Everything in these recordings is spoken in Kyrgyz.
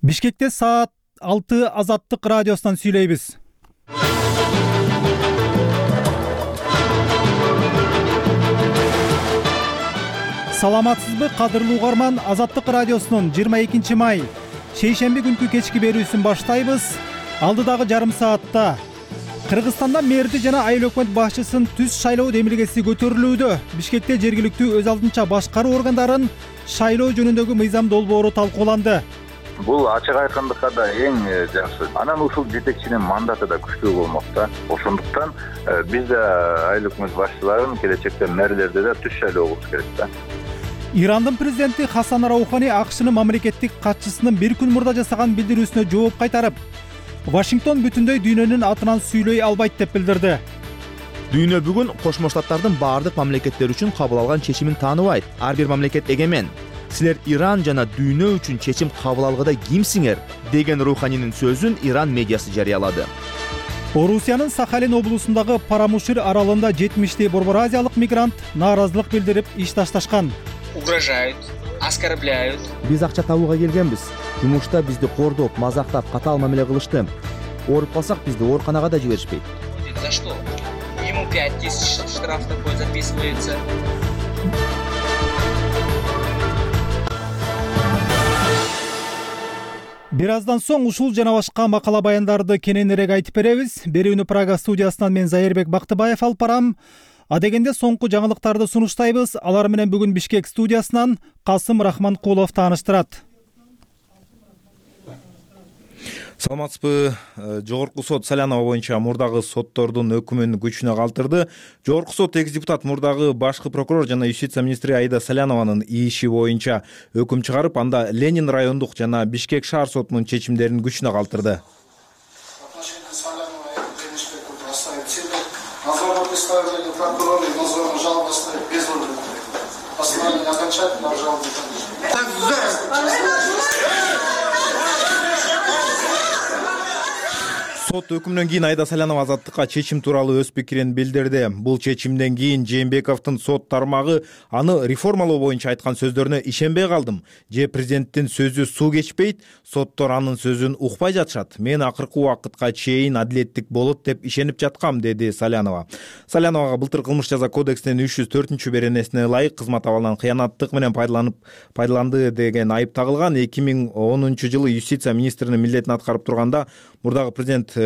Бишкекте саат 6 Азаттык радиосунан сүйлөйбүз. Саламатсызбы, кадырлуу угарман? Азаттык радиосунун 22 май шейшемби күнкү кечки берүүсүн баштайбыз. Алдыдагы жарым саатта Кыргызстанда мэрди жана айыл өкмөт башчысын түз шайлоо демилгеси көтөрүлүүдө. Бишкекте жергиликтүү өз алдынча башкаруу органдарын шайлоо жөнүндөгү мыйзам долбоору талкууланды. Бул ачык айкындыкка да эң жакшы. Анан ушул жетекчинин мандаты да күчтүү болмок да. Ошондуктан биз да айыл өкмөт башчыларын келечекте мэрлерди да түз шайлоо кылыш керек да. Ирандын президенти Хасан Раухани АКШнын мамлекеттик катчысынын бир күн мурда жасаган билдирүүсүнө жооп кайтарып, Вашингтон бүтүндөй дүйнөнүн атынан сүйлөй албайт деп билдирди. Дүйнө бүгүн Кошмо Штаттардын баардык мамлекеттер үчүн кабыл алган чечимин тааныбайт. Ар бир мамлекет эгемен. Силер Иран жана дүйнө үчүн чечим кабыл алгыда кимсиңер деген Руханинин сөзүн Иран медиасы жарыялады. Орусиянын Сахалин облусундагы Парамушир аралында 70 борбор азиялык мигрант нааразылык билдирип иш ташташкан. Угрожают, оскорбляют. Биз акча табууга келгенбиз. Жумушта бизди кордоп, мазактап, катаал мамиле кылышты. Ооруп калсак бизди ооруканага да жиберишпейт. За что? Ему 5000 штраф такой записывается. Бир аздан соң ушул жана башка макала баяндарды кененирээк айтып беребиз. Берүүнү Прага студиясынан мен Зайырбек Бактыбаев алып барам. Адегенде соңку жаңылыктарды сунуштайбыз. Алар менен бүгүн Бишкек студиясынан Касым Рахманкулов тааныштырат. Саламатсызбы. Жогорку сот Салянова боюнча мурдагы соттордун өкүмүн күчүнө калтырды. Жогорку сот экс депутат мурдагы башкы прокурор жана юстиция министри Аида Салянованын иши боюнча өкүм чыгарып, анда Ленин райондук жана Бишкек шаар сотунун чечимдерин күчүнө калтырды. Сот өкүмүнөн кийин Аида Салянова азаттыкка чечим тууралуу өз пикирин билдирди. Бул чечимден кийин Жээнбековдун сот тармагы аны реформалоо боюнча айткан сөздөрүнө ишенбей калдым. Же президенттин сөзү суу кечпейт, соттор анын сөзүн укпай жатышат. Мен акыркы убакытка чейин адилеттик болот деп ишенип жаткам, деди Салянова. Саляновага былтыр кылмыш жаза кодексинин 304 беренесине ылайык кызмат абалынан кыянаттык менен пайдаланды деген айып тагылган. 2010 жылы юстиция министринин милдетин аткарып турганда мурдагы президенттин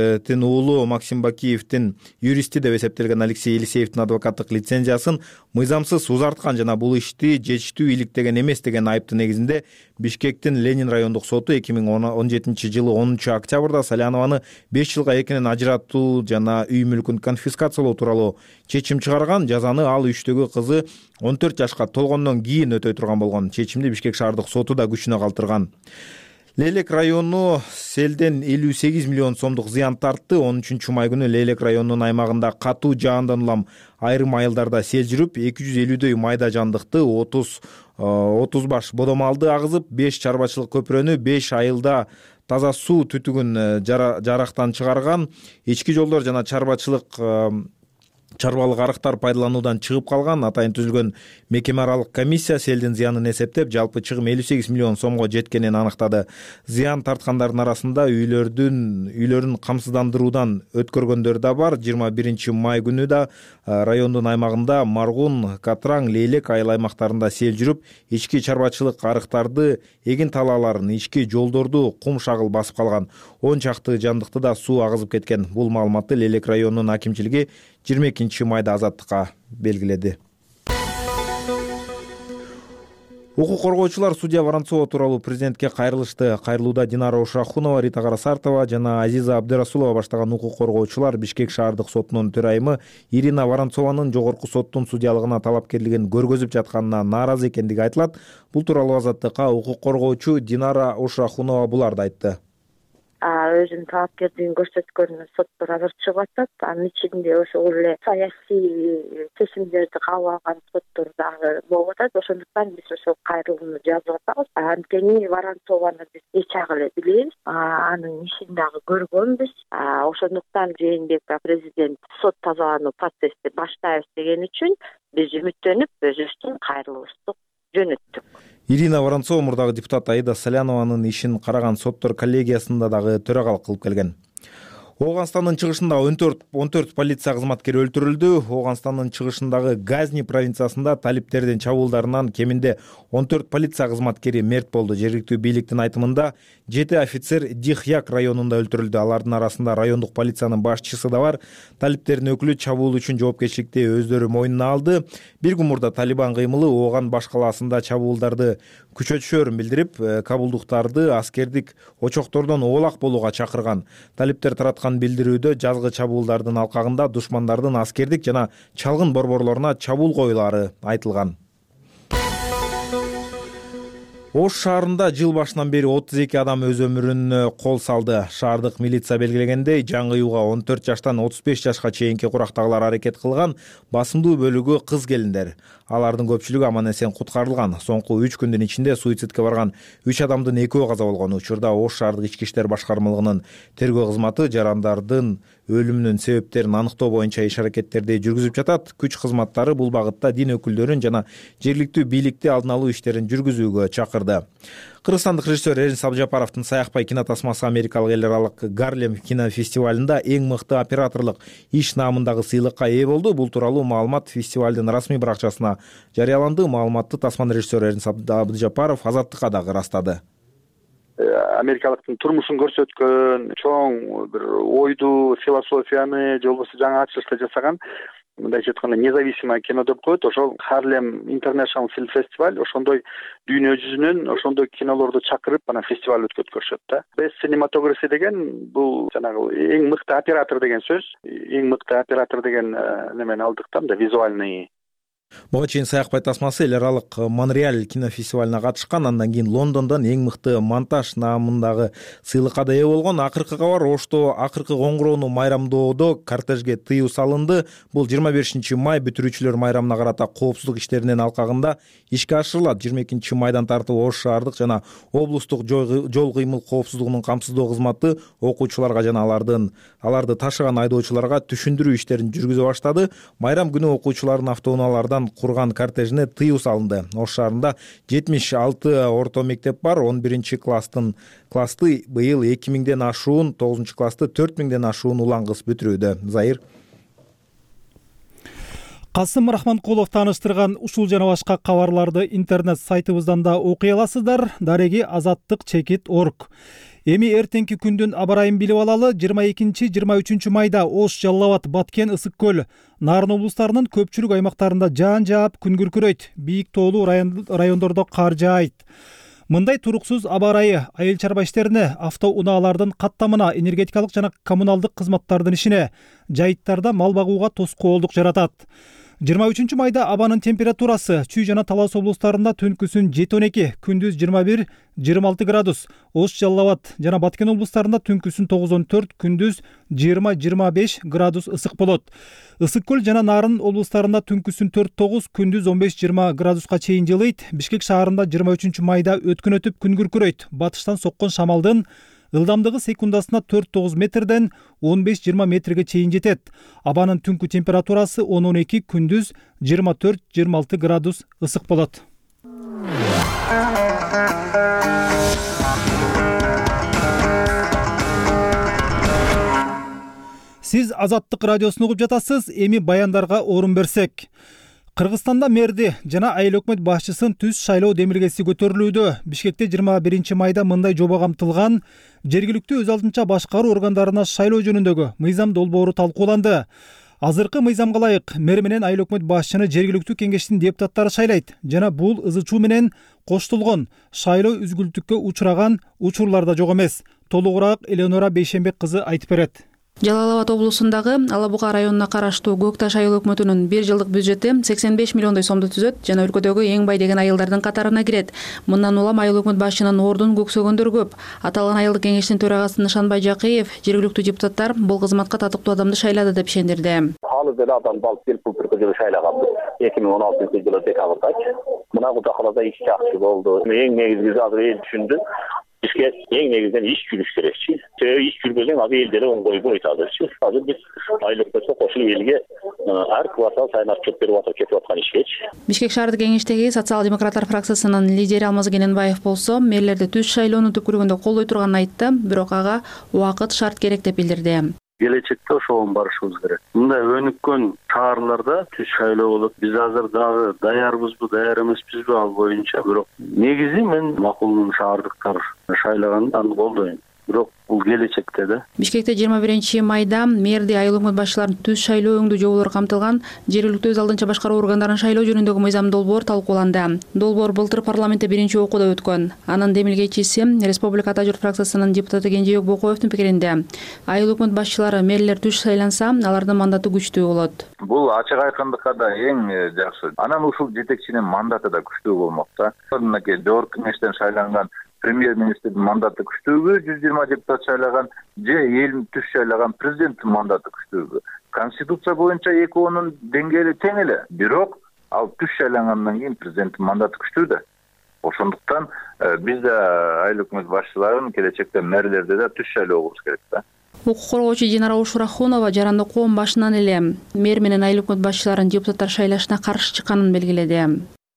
уулу Максим Бакиевдин юристи деп эсептелген Алексей Елисеевдин адвокаттык лицензиясын мыйзамсыз узарткан жана бул ишти жетиштүү иликтеген эмес деген айыптын негизинде Бишкектин Ленин райондук соту 2017 жылы 10 октябрда Салянованы 5 жылга эркинен ажыратуу жана үй мүлкүн конфискациялоо тууралуу чечим чыгарган. Жазаны ал үчтөгү кызы 14 жашка толгондон кийин өтөй турган болгон. Чечимди Бишкек шаардык соту да күчүнө калтырган. Лейлек району селден 58 миллион сомдук зыян тартты. 13 май күнү Лейлек районунун аймагында катуу жаандан улам айрым айылдарда сел жүрүп, 250дөй майда жандыкты, 30 баш бодомалды агызып, 5 чарбачылык көпүрөнү, 5 айылда таза суу түтүгүн жарактан чыгарган. Ички жолдор жана чарбалык арыктар пайдалануудан чыгып калган. Атайын түзүлгөн мекеме аралык комиссия селдин зыянын эсептеп, жалпы чыгым 58 миллион сомго жеткенин аныктады. Зыян тарткандардын арасында үйлөрүн камсыздандыруудан өткөргөндөр да бар. 21 май күнү да райондун аймагында Маргун, Катраң, Лейлек айыл аймактарында сел жүрүп, ички чарбачылык арыктарды, эгин талааларын, ички жолдорду кум шагыл басып калган. 10 чакты жандыкты да суу агызып кеткен. Бул маалыматты Лейлек районунун акимчилиги 22 майда азаттыкка белгиледи. Укук коргоочулар судья Воронцова тууралуу президентке кайрылышты. Кайрылууда Динара Ушрахунова, Рита Карасартова жана Азиза Абдырасулова баштаган укук коргоочулар Бишкек шаардык сотунун төрайымы Ирина Воронцованын жогорку соттун судьялыгына талапкерлигин көргөзүп жатканына нааразы экендиги айтылат. Бул тууралуу азаттыкка укук коргоочу Динара Ушрахунова буларды айтты. Өзүнүн талапкерлигин көрсөткөнүнө соттор азыр чыгып атат. Анын ичинде ошол эле саясий чечимдерди кабыл алган соттор дагы болуп атат. Ошондуктан биз ошол кайрылууну жазып атабыз. Анткени Воронцованы биз эч ак эле билебиз. Анын ишин дагы көргөнбүз. Ошондуктан Жээнбеков президент сот тазалануу процессти баштайбыз деген үчүн биз үмүттөнүп өзүбүздүн кайрылуубузду жөнөттүк. Ирина Воронцова мурдагы депутат Аида Салянованын ишин караган соттор коллегиясында дагы төрагалык кылып келген. Ооганстандын чыгышында 14 полиция кызматкери өлтүрүлдү. Ооганстандын чыгышындагы Газни провинциясында талиптердин чабуулдарынан кеминде 14 полиция кызматкери мерт болду. Жергиликтүү бийликтин айтымында 7 офицер Дихьяк районунда өлтүрүлдү. Алардын арасында райондук полициянын башчысы да бар. Талиптердин өкүлү чабуул үчүн жоопкерчиликти өздөрү мойнуна алды. Bir күн мурда Талибан кыймылы Ооган баш калаасында чабуулдарды күчөтүшөөрүн билдирип, кабулдуктарды аскердик очоктордон оолак болууга чакырган. Талиптер тараткан билдирүүдө жазгы чабуулдардын алкагында душмандардын аскердик жана чалгын борборлоруна чабуул коюлары айтылган. Ош шаарында жыл башынан бери 32 адам өз өмүрүн кол салды. Шаардык милиция белгилегендей, жаңыюуга 14 жаштан 35 жашка чейинки курактагылар аракет кылган. Басымдуу бөлүгү кыз келиндер. Алардын көпчүлүгү аман эсен куткарылган. Соңку 3 күндүн ичинде суицидке барган 3 адамдын 2-өө каза болгон. Учурда Ош шаардык ички иштер башкармалыгынын тергөө кызматы жарандардын өлүмүнүн себептерин аныктоо боюнча иш-аракеттерди жүргүзүп жатат. Күч кызматтары бул багытта дин өкүлдөрүн жана жергиликтүү бийликти алдын алуу иштерин жүргүзүүгө чакырды. Кыргызстандык режиссер Эрин Сабжапаровдун Саякбай кинотасмасы Америкалык эл аралык Гарлем кинофестивалында эң мыкты операторлук иш наамындагы сыйлыкка ээ болду. Бул тууралуу маалымат фестивалдын расмий баракчасына жарыяланды. Маалыматты тасман режиссер Эрин Сабжапаров Азаттыкка дагы ырастады. Америкалыктын турмушун көрсөткөн, чоң бир ойду, философияны, же болбосо жаңы ачылышты жасаган, мындайча айтканда независимое кино деп коет. Ошол Harlem International Film Festival ошондой дүйнө жүзүнөн ошондой кинолорду чакырып анан фестиваль өткөрүшөт да. Best Cinematography деген бул жанагы эң мыкты оператор деген сөз. Эң мыкты оператор деген немени алдык да, визуальный. Буга чейин Саякбай тасмасы эл аралык Монреаль кинофестивалына катышкан, андан кийин Лондондон эң мыкты монтаж наамындагы сыйлыкка да ээ болгон. Акыркы кабар Ошто акыркы коңгуроону майрамдоодо кортежге тыюу салынды. Бул 25 май бүтүрүүчүлөр майрамына карата коопсуздук иштеринин алкагында ишке ашырылат. 22 майдан тартып Ош шаардык жана облустук жол кыймыл коопсуздугунун камсыздоо кызматы окуучуларга жана аларды ташыган айдоочуларга түшүндүрүү иштерин жүргүзө баштады. Майрам күнү окуучулардын автоунаалардан курган кортежине тыюу салынды. Ош шаарында 76 орто мектеп бар. 11 классты быйыл 2000ден ашуун, 9 классты 4000ден ашуун улан кыз бүтүрүүдө. Заир Касым Рахманкулов тааныштырган ушул жана башка кабарларды интернет сайтыбыздан да окуй аласыздар. Дареги azattik.org. Эми эртеңки күндүн аба ырайын билип алалы. 22-23 майда Ош, Жалал Абад, Баткен, Ысык көл, Нарын облустарынын көпчүлүк аймактарында жаан жаап, күн күркүрөйт. Бийик тоолуу райондордо кар жаайт. Мындай туруксуз аба ырайы айыл чарба иштерине, автоунаалардын каттамына, энергетикалык жана коммуналдык кызматтардын ишине, жайыттарда мал багууга тоскоолдук жаратат. 23 майда абанын температурасы Чүй жана Талас облустарында түнкүсүн 7-12, күндүз 21-26 градус. Ош, Жалал Абад жана Баткен облустарында түнкүсүн 9-14, күндүз 20-25 градус ысык болот. Ысык көл жана Нарын облустарында түнкүсүн 4-9, күндүз 15-20 градуска чейин жылыйт. Бишкек шаарында 23 майда өткөн өтүп күн күркүрөйт. Батыштан соккон шамалдын ылдамдыгы секундасына 4-9 метрден 15-20 метрге чейин жетет. Абанын түнкү температурасы 10-12, күндүз 24-26 градус ысык болот. Сиз Азаттык радиосун угуп жатасыз. Эми баяндарга орун берсек. Кыргызстанда мэрди жана айыл өкмөт башчысын түз шайлоо демилгеси көтөрүлүүдө. Бишкекте 21 майда мындай жоба камтылган. Жергиликтүү өз алдынча башкаруу органдарына шайлоо жөнүндөгү мыйзам долбоору талкууланды. Азыркы мыйзамга ылайык мэр менен айыл өкмөт башчыны жергиликтүү кеңештин депутаттары шайлайт жана бул ызы чуу менен коштолгон шайлоо үзгүлтүккө учураган учурлар да жок эмес. Толугураак Элеонора Бейшенбек кызы айтып берет. Жалал Абад облусундагы Ала Буга районуна караштуу Көк Таш айыл өкмөтүнүн 1 жылдык бюджети 85 миллиондой сомду түзөт жана өлкөдөгү эң бай деген айылдардын катарына кирет. Мындан улам айыл өкмөт башчынын ордун көксөгөндөр көп. Аталган айылдык кеңештин төрагасы Нышанбай Жакыев жергиликтүү депутаттар бул кызматка татыктуу адамды шайлады деп ишендирди. Ал деле адам балып келип бул түркү шайлаган 2016-жылы декабрда. Мына кудакалада иш жакшы болду. Эң негизгиси азыр эл түшүндү. Бизге эң негизинен иш жүрүш керекчи. Себеби иш жүрбөсөң ал эл деле оңгойбойт азырчы. Азыр биз айлык өтө кошулуп элге ар квартал сайын отчет берип атып кетип аткан ишкечи. Бишкек шаардык кеңештеги социал-демократтар фракциясынын лидери Алмаз Кененбаев болсо мэрлерди түз шайлоону түпкүрүгүндө колдой турганын айтты, бирок ага убакыт шарт керек деп билдирди. Келечекте ошого барышыбыз керек. Мындай өнүккөн шаарларда түз шайлоо болот. Биз азыр дагы даярбызбы, даяр эмеспизби ал боюнча. Бирок негизи мен макул шаардыктар шайлаганды аны колдойм. Бирок бул келечекте да. Бишкекте 21 майда мэрди, айыл өкмөт башчыларын түз шайлоо өңдүү жоболору камтылган жергиликтүү өз алдынча башкаруу органдарын шайлоо жөнүндөгү мыйзам долбоор талкууланды. Долбоор былтыр парламентте биринчи окууда өткөн. Анын демилгечиси Республика Ата журт фракциясынын депутаты Кенжебек Бокоевдун пикиринде, айыл өкмөт башчылары мэрлер түз шайланса, алардын мандаты күчтүү болот. Бул ачык айкындыкка да эң жакшы. Анан ушул жетекчинин мандаты да күчтүү болмок да. Мынакей жогорку кеңештен шайланган премьер-министрдин мандаты күчтүүбү, 120 депутат шайлаган же эл түз шайлаган президенттин мандаты күчтүүбү. Конституция боюнча экөөнүн деңгээли тең эле. Бирок ал түз шайлангандан кийин президенттин мандаты күчтүү да. Ошондуктан биз да айыл өкмөт башчыларын келечекте мэрлерде да түз шайлоо кылыш керек да. Укук коргоочу Динара Ушурахунова жаранды коом башынан эле мэр менен айыл өкмөт башчыларын депутаттар шайлашына каршы чыкканын белгиледи.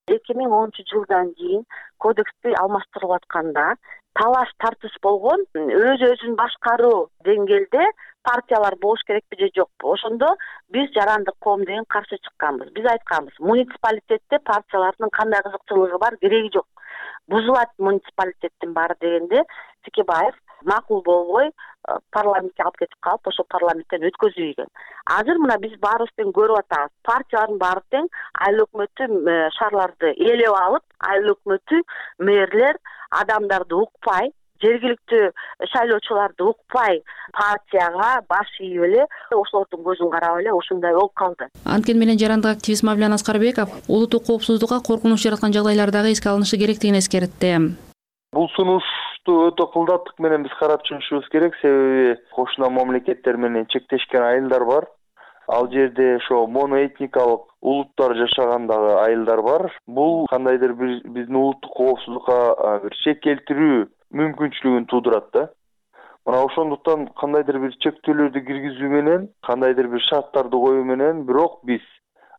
2010-жылдан кийин кодексти алмаштырылып атканда талаш тартыш болгон, өзүн башкаруу деңгээлде партиялар болуш керекпи же жокпу? Ошондо биз жарандык коом деген каршы чыкканбыз. Биз айтканбыз, муниципалитетте партиялардын кандай кызыкчылыгы бар, кереги жок. Бузулат муниципалитеттин баары дегенде Текебаев макул болбой парламентке алып кетип калып, ошо парламенттен өткөзүп ийген. Азыр мына биз баарыбыз тең көрүп атабыз. Партиялардын баары тең айыл өкмөтү шаарларды ээлеп алып, айыл өкмөтү мэрлер адамдарды укпай, жергиликтүү шайлоочуларды укпай партияга баш ийип эле, ошолордун көзүн карап эле ушундай болуп калды. Анткени менен жарандык активист Мавлян Аскарбеков улуттук коопсуздукка коркунуч жараткан жагдайлар дагы эске алынышы керектигин эскертти. Бул сунушту өтө кылдаттык менен биз карап чыгышыбыз керек, себеби кошуна мамлекеттер менен чектешкен айылдар бар. Ал жерде ошо моноэтникалык улуттар жашагандагы айылдар бар. Бул кандайдыр бир биздин улуттук коопсуздукка бир шек келтирүү мүмкүнчүлүгүн туудурат да. Мына ошондуктан кандайдыр бир чектөөлөрдү киргизүү менен, кандайдыр бир шарттарды коюу менен, бирок биз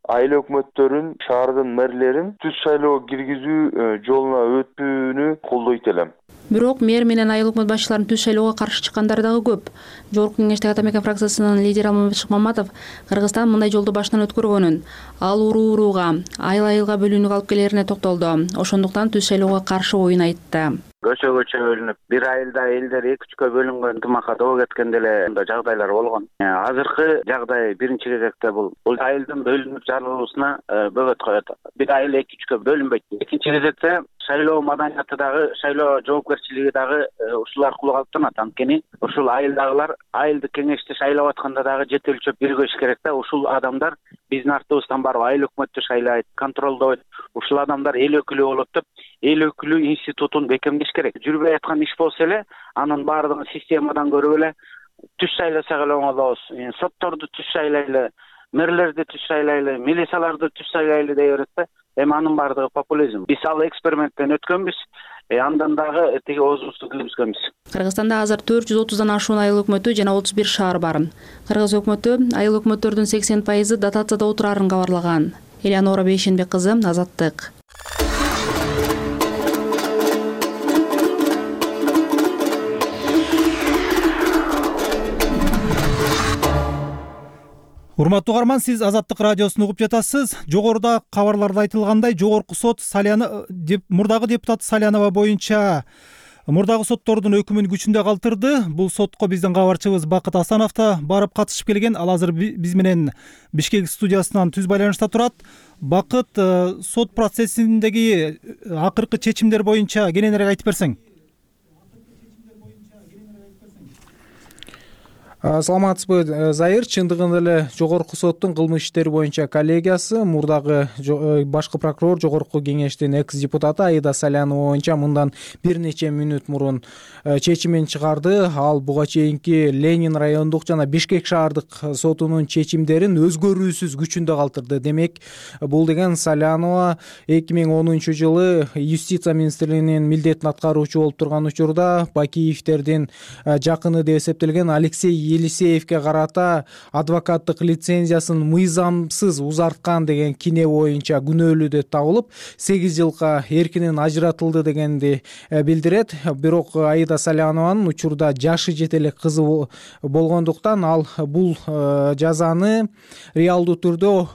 айыл өкмөттөрүн, шаардын мэрлерин түз шайлоо киргизүү жолуна өтүүнү колдойт элем. Бирок мэр менен айыл өкмөт башчыларын түз шайлоого каршы чыккандар дагы көп. Жогорку кеңештеги Ата Мекен фракциясынын лидери Алмамбет Шыкмаматов Кыргызстан мындай жолду башынан өткөргөнүн, ал уруу-урууга, айыл-айылга бөлүнүүгө алып келерине токтолду. Ошондуктан түз шайлоого каршы оюн айтты. Көчө бөлүнүп, бир айылда элдер 2-3кө бөлүнгөн ынтымакка доо кеткен деле жагдайлар болгон. Азыркы жагдай биринчи кезекте бул айылдын бөлүнүп жарылуусуна бөгөт коет. Бир айыл 2-3кө бөлүнбөйт. Экинчи кезекте шайлоо маданияты дагы, шайлоо жоопкерчилиги дагы ушул аркылуу калыптанат. Анткени ушул айылдагылар айылдык кеңешти шайлап атканда дагы жетелчөп биргеш керек да. Ушул адамдар биздин артыбыздан барып айыл өкмөттү шайлайт, контролдойт. Ушул адамдар эл өкүлү болот деп, эл өкүлү институтун бекемдеш керек. Жүрбөй аткан иш болсо эле, анын баардыгын системадан көрүп эле түз шайласак эле оңолобуз. Сотторду түз шайлайлы, мэрлерди түз шайлайлы, милицияларды түз шайлайлы дей берет да. Эми анын баардыгы популизм. Биз ал эксперименттен өткөнбүз. Андан дагы тиги оозубузду кыйгызганбыз. Кыргызстанда азыр 430дан ашуун айыл өкмөтү жана 31 шаар бар. Кыргыз өкмөтү айыл өкмөттөрдүн 80% дотацияда отурарын кабарлаган. Элеонора Бейшенбек кызы, Азаттык. Урматтуу угарман, сиз Азаттык радиосун угуп жатасыз. Жогоруда кабарларда айтылгандай, жогорку сот мурдагы депутат Салянова боюнча мурдагы соттордун өкүмүн күчүндө калтырды. Бул сотко биздин кабарчыбыз Бакыт Асанов да барып катышып келген. Ал азыр биз менен Бишкек студиясынан түз байланышта турат. Бакыт, сот процессиндеги акыркы чечимдер боюнча кененирээк айтып берсең. Саламатсызбы, Зайыр? Чындыгында эле Жогорку соттун кылмыш иштери боюнча коллегиясы мурдагы башкы прокурор, Жогорку кеңештин экс депутаты Аида Салянова боюнча мындан бир нече мүнөт мурун чечимин чыгарды. Ал буга чейинки Ленин райондук жана Бишкек шаардык сотунун чечимдерин өзгөрүүсүз күчүндө калтырды. Демек, бул деген Салянова 2010-жылы юстиция министрлигинин милдетин аткаруучу болуп турган учурда Бакиевдердин жакыны деп эсептелген Алексей Елисеевке карата адвокаттык лицензиясын мыйзамсыз узарткан деген кине боюнча күнөөлүү деп табылып, 8 жылга эркинен ажыратылды дегенди билдирет. Бирок Аида Салянованын учурда жашы жете элек кызы болгондуктан ал бул жазаны реалдуу түрдө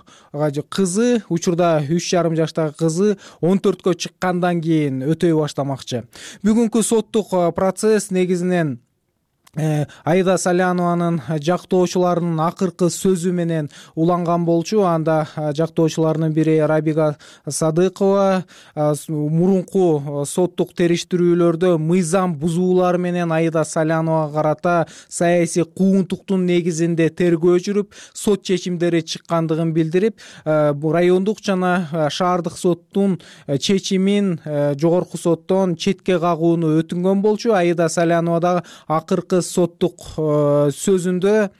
кызы, учурда 3,5 жаштагы кызы 14кө чыккандан кийин өтөй баштамакчы. Бүгүнкү соттук процесс негизинен Аида Салянованын жактоочуларынын акыркы сөзү менен уланган болчу. Анда жактоочуларынын бири Рабига Садыкова мурунку соттук териштирүүлөрдө мыйзам бузуулар менен Аида Саляновага карата саясий куугунтуктун негизинде тергөө жүрүп, сот чечимдери чыккандыгын билдирип, райондук жана шаардык соттун чечимин Жогорку соттон четке кагууну өтүнгөн болчу. Аида Салянова дагы акыркы соттук сөзүндө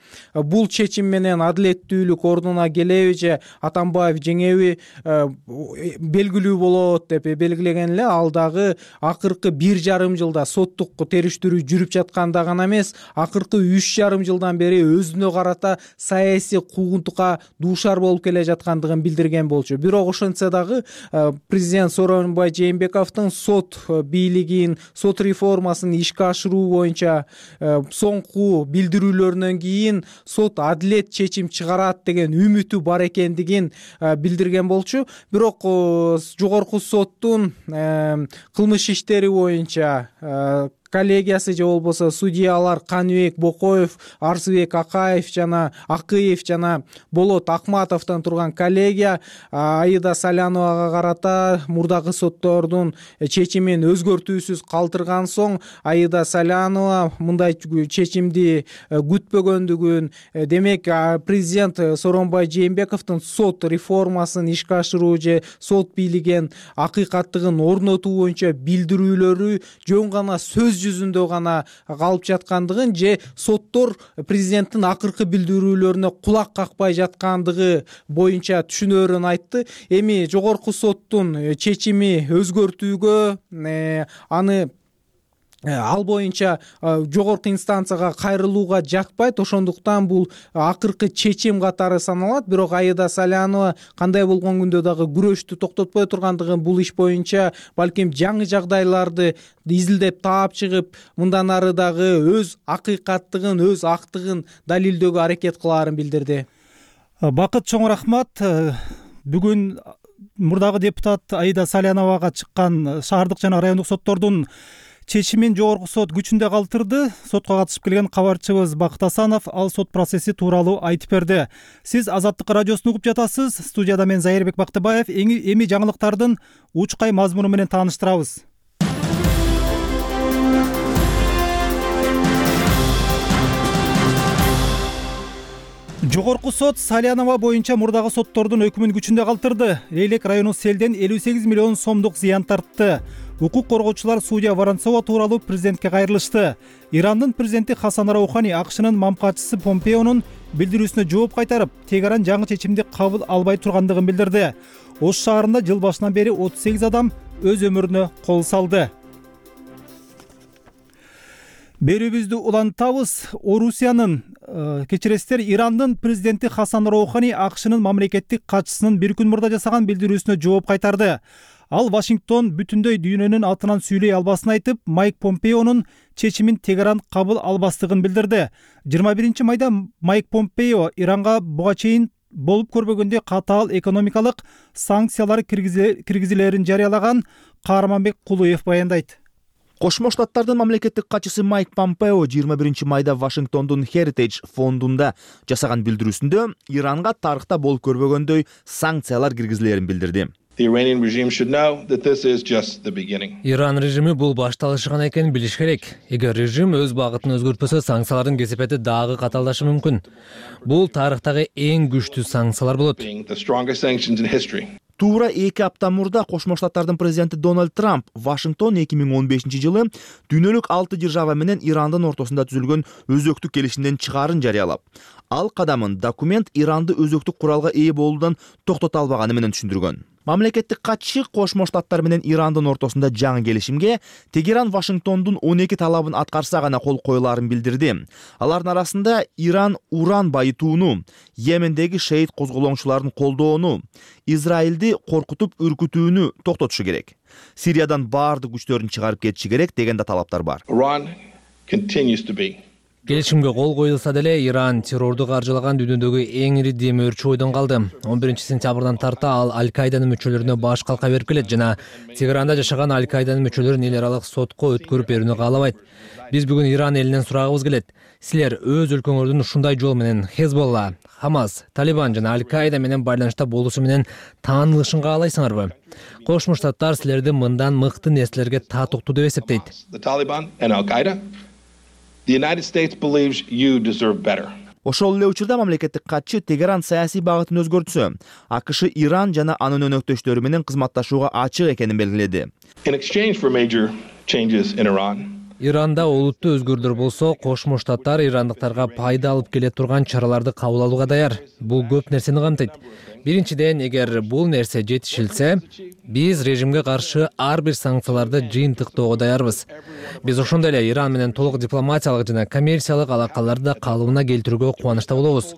бул чечим менен адилеттүүлүк ордуна келеби же Атамбаев жеңеби белгилүү болот деп белгилеген эле. Ал дагы акыркы 1,5 жылда соттук териштирүү жүрүп жатканда гана эмес, акыркы 3,5 жылдан бери өзүнө карата саясий куугунтукка дуушар болуп келе жаткандыгын билдирген болчу. Бирок ошентсе дагы президент Сооронбай Жээнбековдун сот бийлигин, сот реформасын ишке ашыруу боюнча соңку билдирүүлөрүнөн кийин сот адилет чечим чыгарат деген үмүтү бар экендигин билдирген болчу. Бирок Жогорку соттун кылмыш иштери боюнча коллегиясы же болбосо судьялар Каныбек Бокоев, Арсыбек Акаев жана Акыев жана Болот Акматовдон турган коллегия Аида Саляновага карата мурдагы соттордун чечимин өзгөртүүсүз калтырган соң Аида Салянова мындай чечимди күтпөгөндүгүн, демек президент Сооронбай Жээнбековдун сот реформасын ишке ашыруу же сот бийлигин акыйкаттыгын орнотуу боюнча билдирүүлөрү жөн гана сөз жүзүндө гана калып жаткандыгын же соттор президенттин акыркы билдирүүлөрүнө кулак какпай жаткандыгы боюнча түшүнөрүн айтты. Эми Жогорку соттун чечими өзгөртүүгө аны ал боюнча жогорку инстанцияга кайрылууга жакпайт, ошондуктан бул акыркы чечим катары саналат. Бирок Аида Салянова кандай болгон күндө дагы күрөштү токтотпой тургандыгын, бул иш боюнча балким жаңы жагдайларды изилдеп таап чыгып, мындан ары дагы өз акыйкаттыгын, өз актыгын далилдөөгө аракет кылаарын билдирди. Бакыт, чоң рахмат. Бүгүн мурдагы депутат Аида Саляновага чыккан шаардык жана райондук соттордун чечимин Жогорку сот күчүндө калтырды. Сотко катышып келген кабарчыбыз Бакыт Асанов ал сот процесси тууралуу айтып берди. Сиз Азаттык радиосун угуп жатасыз. Студияда мен Зайырбек Бактыбаев. Эми жаңылыктардын учкай мазмуну менен тааныштырабыз. Жогорку сот Салянова боюнча мурдагы соттордун өкүмүн күчүндө калтырды. Лейлек району селден 58 миллион сомдук зыян тартты. Укук коргоочулар судья Воронцова тууралуу президентке кайрылышты. Ирандын президенти Хасан Роухани АКШнын мамкачысы Помпеонун билдирүүсүнө жооп кайтарып, Тегеран жаңы чечимди кабыл албай тургандыгын билдирди. Ош шаарында жыл башынан бери 38 адам өз өмүрүнө кол салды. Берүүбүздү улантабыз. Орусиянын кечиресиздер, Ирандын президенти Хасан Роухани АКШнын мамлекеттик катчысынын бир күн мурда жасаган билдирүүсүнө жооп кайтарды. Ал Вашингтон бүтүндөй дүйнөнүн атынан сүйлөй албасын айтып, Майк Помпеонун чечимин Тегеран кабыл албастыгын билдирди. 21 майда Майк Помпео Иранга буга чейин болуп көрбөгөндөй катаал экономикалык санкциялар киргизилерин жарыялаган. Каарманбек Кулуев баяндайт. Кошмо Штаттардын мамлекеттик катчысы Майк Помпео 21 майда Вашингтондун Heritage фондунда жасаган билдирүүсүндө Иранга тарыхта болуп көрбөгөндөй санкциялар киргизилерин билдирди. The Iranian regime should know that this is just the beginning. Иран режими бул башталышы гана экенин билиш керек. Эгер режим өз багытын өзгөртпөсө, санкциялардын кесепети дагы каталдашы мүмкүн. Бул тарыхтагы эң күчтүү санкциялар болот. The strongest sanctions in history. Туура 2 апта мурда Кошмо Штаттардын президенти Дональд Трамп Вашингтон 2015-жылы дүйнөлүк 6 держава менен Ирандын ортосунда түзүлгөн өзөктүк келишимден чыгарын жарыялап, ал кадамын документ Иранды өзөктүк куралга ээ болуудан токтото албаганы менен түшүндүргөн. Мамлекеттик катчы Кошмо Штаттар менен Ирандын ортосунда жаңы келишимге Тегеран Вашингтондун 12 талабын аткарса гана кол коюларын билдирди. Алардын арасында Иран уран байытууну, Йемендеги шейит козголоңчуларын колдоону, Израилди коркутуп үркүтүүнү токтотушу керек. Сириядан баардык күчтөрүн чыгарып кетиши керек деген да талаптар бар. Iran continues to be Келишимге кол коюлса деле Иран террорду каржылаган дүйнөдөгү эң ири демөөрчү ойдон калды. 11-сентябрдан тарта ал Аль-Каиданын мүчөлөрүнө баш калка берип келет жана Тегеранда жашаган Аль-Каиданын мүчөлөрүн эл аралык сотко өткөрүп берүүнү каалабайт. Биз бүгүн Иран элинен сурагыбыз келет. Силер өз өлкөңөрдүн ушундай жол менен Хезболла, Хамас, Талибан жана Аль-Каида менен байланышта болуусу менен таанылышын каалайсыңарбы? Кошмо Штаттар силерди мындан мыкты нерселерге татыктуу деп эсептейт. the Taliban and Al-Qaeda. The United States believes you deserve better. Ошол эле учурда мамлекеттик катчы Тегеран саясий багытын өзгөртсө, АКШ Иран жана анын өнөктөштөрү менен кызматташууга ачык экенин белгиледи. In exchange for major changes in Iran, Иранда олуттуу өзгөрүүлөр болсо, Кошмо Штаттар ирандыктарга пайда алып келе турган чараларды кабыл алууга даяр. Бул көп нерсени камтыйт. Биринчиден, эгер бул нерсе жетишилсе, биз режимге каршы ар бир санкцияларды жыйынтыктоого даярбыз. Биз ошондой эле Иран менен толук дипломатиялык жана коммерциялык алакаларды да калыбына келтирүүгө кубанычта болобуз.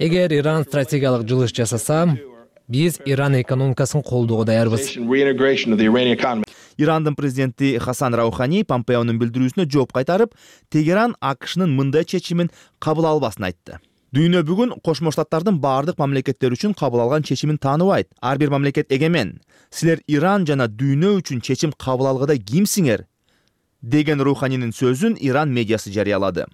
Эгер Иран стратегиялык жылыш жасаса, биз Иран экономикасын колдоого даярбыз. reintegration of the Iranian economy. Ирандын президенти Хасан Раухани Помпеонун билдирүүсүнө жооп кайтарып, Тегеран АКШнын мындай чечимин кабыл албасын айтты. Дүйнө бүгүн Кошмо Штаттардын баардык мамлекеттер үчүн кабыл алган чечимин тааныбайт. Ар бир мамлекет эгемен. Силер Иран жана дүйнө үчүн чечим кабыл алгыда кимсиңер? Деген Руханинин сөзүн Иран медиасы жарыялады.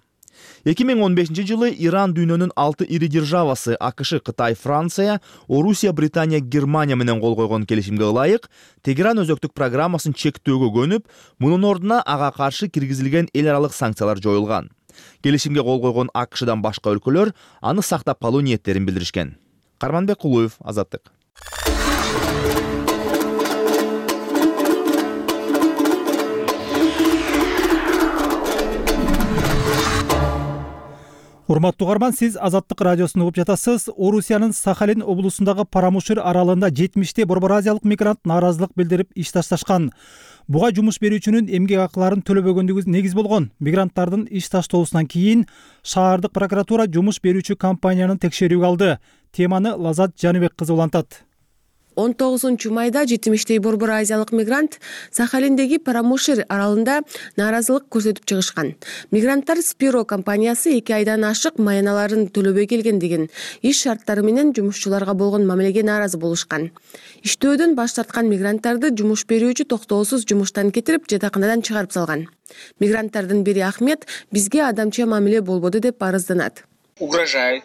2015-жылы Иран дүйнөнүн 6 ири державасы АКШ, Кытай, Франция, Орусия, Британия, Германия менен кол койгон келишимге ылайык Тегеран өзөктүк программасын чектөөгө көнүп, мунун ордуна ага каршы киргизилген эл аралык санкциялар жоюлган. Келишимге кол койгон АКШдан башка өлкөлөр аны сактап калуу ниеттерин билдиришкен. Карманбек Кулуев, Азаттык. Урматтуу угарман, сиз Азаттык радиосун угуп жатасыз. Орусиянын Сахалин облусундагы Парамушир аралында 70 борбор азиялык мигрант нааразылык билдирип иш ташташкан. Буга жумуш берүүчүнүн эмгек акыларын төлөбөгөндүгү негиз болгон. Мигранттардын иш таштоосунан кийин шаардык прокуратура жумуш берүүчү компаниянын текшерүүгө алды. Теманы Лазат Жаныбек кызы улантат. 19-майда 70 борбор азиялык мигрант Сахалиндеги Парамушир аралында нааразылык көрсөтүп чыгышкан. Мигранттар Спиро компаниясы 2 айдан ашык маяналарын төлөбөй келгендигин, иш шарттары менен жумушчуларга болгон мамилеге нааразы болушкан. Иштөөдөн баш тарткан мигранттарды жумуш берүүчү токтоосуз жумуштан кетирип, жатаканадан чыгарып салган. Мигранттардын бири Ахмет бизге адамча мамиле болбоду деп арызданат. Угрожают,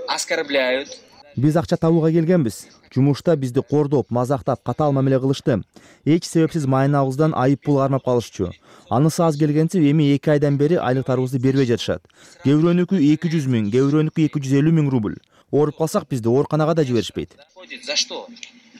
оскорбляют. Биз акча табууга келгенбиз. Жумушта бизди кордоп, мазактап, катаал мамиле кылышты. Эч себепсиз майнабыздан айып пул кармап калышчу. Анысы аз келгенси эми 2 айдан бери айлыктарыбызды бербей жатышат. Кээ бирөөнүкү 200 000, кээ бирөөнүкү 250 000 рубль. Ооруп калсак бизди ооруканага да жиберишпейт. За что?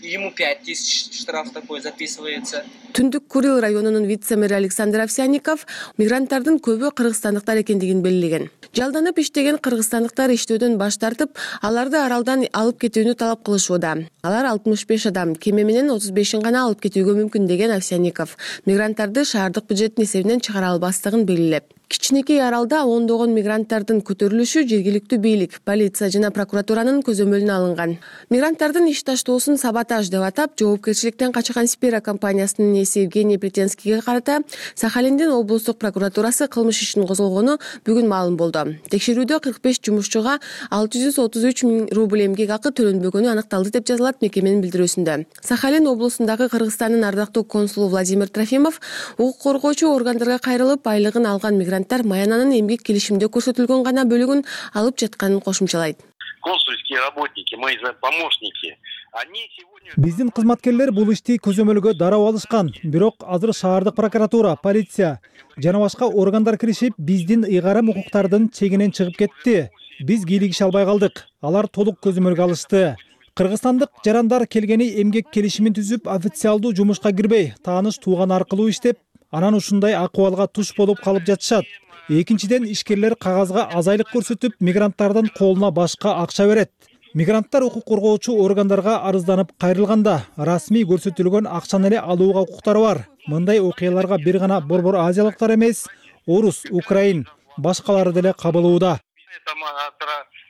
Ему 5000 штраф такой записывается. Түндүк Курил районунун вице-мэри Александр Овсянников мигранттардын көбү кыргызстандыктар экендигин белгилеген. Жалданып иштеген кыргызстандыктар иштөөдөн баш тартып, аларды аралдан алып кетүүнү талап кылышууда. Алар 65 адам, кеме менен 35-ин гана алып кетүүгө мүмкүн деген Овсянников мигранттарды шаардык бюджеттин эсебинен чыгара албастыгын белгилеп, кичинекей аралда ондогон мигранттардын көтөрүлүшү жергиликтүү бийлик, полиция жана прокуратуранын көзөмөлүнө алынган. Мигранттардын иш таштоосун саботаж деп атап, жоопкерчиликтен качкан Спира компаниясынын ээси Евгений Плетенскийге карата Сахалиндин облустук прокуратурасы кылмыш ишин козгогону бүгүн маалым болду. Текшерүүдө 45 жумушчуга 633 000 рубль эмгек акы төлөнбөгөнү аныкталды деп жазылат мекеменин билдирүүсүндө. Сахалин облусундагы Кыргызстандын ардактуу консулу Владимир Трофимов укук коргоочу органдарга кайрылып, айлыгын алган мигранттар маянанын эмгек келишимде көрсөтүлгөн гана бөлүгүн алып жатканын кошумчалайт. консульские работники, мои помощники, они сегодня... Биздин кызматкерлер бул ишти көзөмөлгө дароо алышкан. Бирок азыр шаардык прокуратура, полиция жана башка органдар киришип, биздин ыйгарым укуктардын чегинен чыгып кетти. Биз кийлигише албай калдык. Алар толук көзөмөлгө алышты. Кыргызстандык жарандар келгени эмгек келишимин түзүп, официалдуу жумушка кирбей, тааныш тууган аркылуу иштеп, анан ушундай акыбалга туш болуп калып жатышат. Экинчиден, ишкерлер кагазга азайлык көрсөтүп, мигранттардын колуна башка акча берет. Мигранттар укук коргоочу органдарга арызданып кайрылганда, расмий көрсөтүлгөн акчаны эле алууга укуктары бар. Мындай окуяларга бир гана борбор азиялыктар эмес, орус, украин, башкалары деле кабылууда.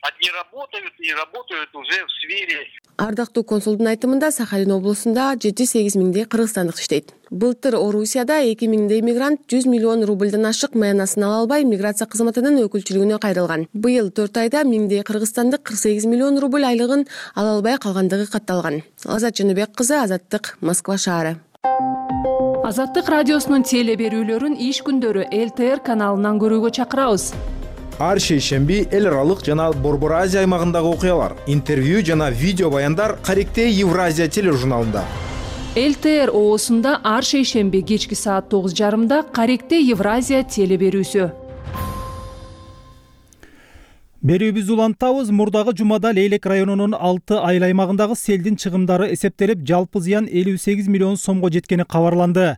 Одни работают и работают уже в сфере. Ардактуу консулдун айтымында Сахалин облусунда 7-8 миңдей кыргызстандык иштейт. Былтыр Орусияда 2 миңдей мигрант 100 миллион рубльдан ашык маянасын ала албай миграция кызматынын өкүлчүлүгүнө кайрылган. Быйыл 4 айда миңдей кыргызстандык 48 миллион рубль айлыгын ала албай калгандыгы катталган. Азат Жөнөбек кызы, Азаттык, Москва шаары. Азаттык радиосунун теле берүүлөрүн иш күндөрү ЛТР каналынан көрүүгө чакырабыз. Ар шейшемби эл аралык жана Борбор Азия аймагындагы окуялар, интервью жана видео баяндар Каректе Евразия тележурналында. ЛТР оосунда ар шейшемби кечки саат 9:30 Каректе Евразия теле берүүсү. Берүүбүздү улантабыз. Мурдагы жумада Лейлек районунун 6 айыл аймагындагы селдин чыгымдары эсептелип, жалпы зыян 58 миллион сомго жеткени кабарланды.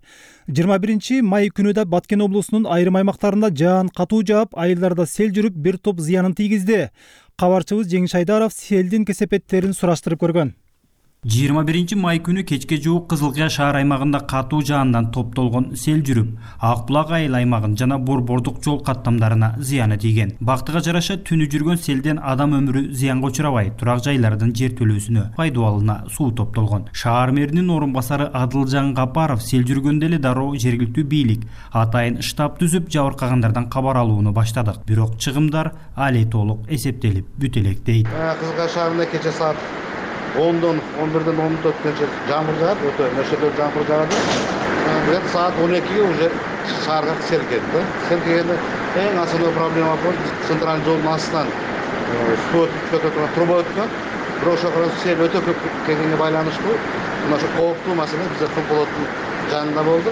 21 май күнү да Баткен облусунун айрым аймактарында жаан катуу жаап, айылдарда сел жүрүп, бир топ зыянын тийгизди. Кабарчыбыз Жеңиш Айдаров селдин кесепеттерин сураштырып көргөн. 21 май күнү кечке жуук Кызылкыя шаар аймагында катуу жаандан топтолгон сел жүрүп, Ак булак айыл аймагын жана борбордук жол каттамдарына зыяны тийген. Бактыга жараша түнү жүргөн селден адам өмүрү зыянга учурабай, турак жайлардын жертөлөөсүнө, пайдубалына суу топтолгон. Шаар мэринин орун басары Адылжан Гапаров сел жүргөндө эле дароо жергиликтүү бийлик атайын штаб түзүп, жабыркагандардан кабар алууну баштадык. Бирок чыгымдар али толук эсептелип бүтө элек дейт. Кызылкыя шаарында кече саат 10-дон 11-ден 14-көнчө жамгыр жаат, өтө нөшөдө жамгыр жаады. Где-то саат 12-ге уже шаарга сел келди. Сел келгенде эң основной проблема бул центральный жолдун астынан суу өтүп турган труба өткөн. Бирок ошол сел өтө көп келгенге байланыштуу мына ошо кооптуу маселе бизде Кулполоттун жанында болду.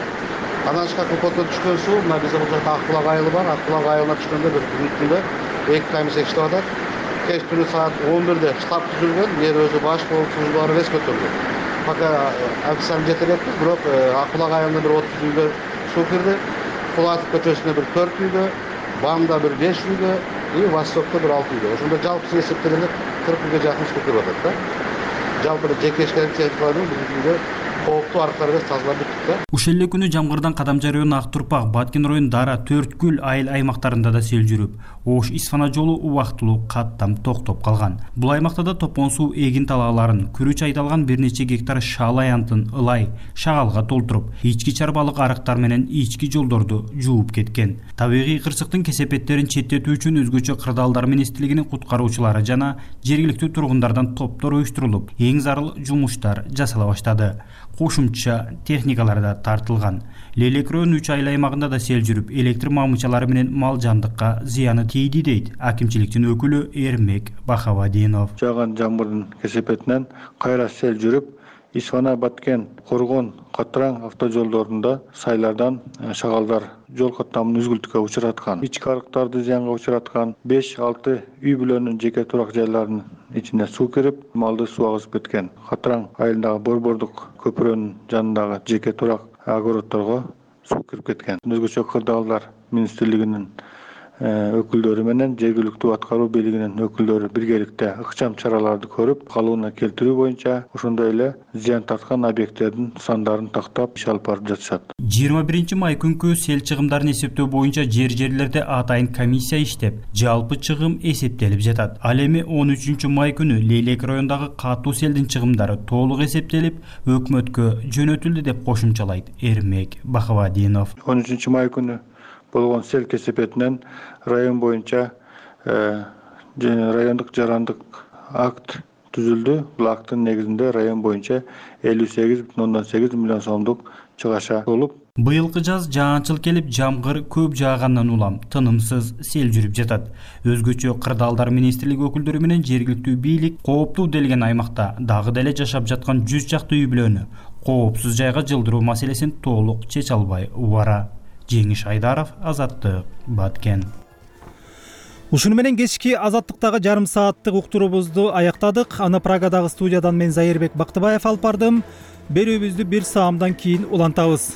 Анан Кулполоттон түшкөн суу мына бизде бул жерде Ак булак айылы бар. Ак булак айылына түшкөндө бир күндө 2 комиссия иштеп атат. Кеч түнү саат 11-де штаб түзүлгөн, жер өзү баш болуп службалар эс көтөрүлгөн. Пока официально жете элекпиз, бирок Ак булак айылына бир 30 үйгө суу кирди. Кулатов көчөсүнө бир 4 үйгө, Бамда бир 5 үйгө, и Востокто бир 6 үйгө. Ошондо жалпы эсептегенде 40 үйгө жакын суу кирип атат да. Жалпы жеке ишкерлик техникалардын бизде кооптуу арыктарды тазалап бүттүк да. Ушул эле күнү Жамгырдан Кадамжай району Ак Турпак, Баткен району Дара, Төрткүл айыл аймактарында да сел жүрүп, Ош Исфана жолу убактылуу каттам токтоп калган. Бул аймакта да топон суу эгин талааларын, күрүч айдалган бир нече гектар шаал аянтын ылай, шагалга толтуруп, ички чарбалык арыктар менен ички жолдорду жууп кеткен. Табигый кырсыктын кесепеттерин четтетүү үчүн өзгөчө кырдаалдар министрлигинин куткаруучулары жана жергиликтүү тургундардан топтор уюштурулуп, эң зарыл жумуштар жасала баштады. Кошумча техникалар да тартылган. Лейлек районунун 3 айыл аймагында да сел жүрүп, электр мамычалары менен мал жандыкка зыяны тийди дейт акимчиликтин өкүлү Эрмек Бахавадинов. Жааган жамгырдын кесепетинен кайра сел жүрүп, Исфана, Баткен, Коргон, Катраң автожолдорунда сайлардан шагалдар жол каттамын үзгүлтүккө учураткан. Ички арыктарды зыянга учураткан 5-6 үй бүлөнүн жеке турак жайларынын ичине суу кирип, малды суу агызып кеткен. Катраң айылындагы борбордук көпүрөнүн жанындагы жеке турак огороддорго суу кирип кеткен. Өзгөчө кырдаалдар министрлигинин өкүлдөрү менен жергиликтүү аткаруу бийлигинин өкүлдөрү биргеликте ыкчам чараларды көрүп, калыбына келтирүү боюнча ошондой эле зыян тарткан объекттердин сандарын тактап иш алып барып жатышат. 21 май күнкү сел чыгымдарын эсептөө боюнча жерлерде атайын комиссия иштеп, жалпы чыгым эсептелип жатат. Ал эми 13 май күнү Лейлек районундагы катуу селдин чыгымдары толук эсептелип, өкмөткө жөнөтүлдү деп кошумчалайт Эрмек Бахавадинов. 13 май күнү болгон сел кесепетинен район боюнча райондук жарандык акт түзүлдү. Бул акттын негизинде район боюнча 58,8 миллион сомдук чыгаша болуп. Быйылкы жаз жаанчыл келип, жамгыр көп жаагандан улам тынымсыз сел жүрүп жатат. Өзгөчө кырдаалдар министрлиги өкүлдөрү менен жергиликтүү бийлик кооптуу делген аймакта дагы деле жашап жаткан 100 чакты үй бүлөнү коопсуз жайга жылдыруу маселесин толук чече албай убара. Жеңиш Айдаров, Азаттык, Баткен. Ушуну менен кечки Азаттыктагы жарым сааттык уктуруубузду аяктадык. Аны Прагадагы студиядан мен Зайырбек Бактыбаев алып бардым. Берүүбүздү бир саамдан кийин улантабыз.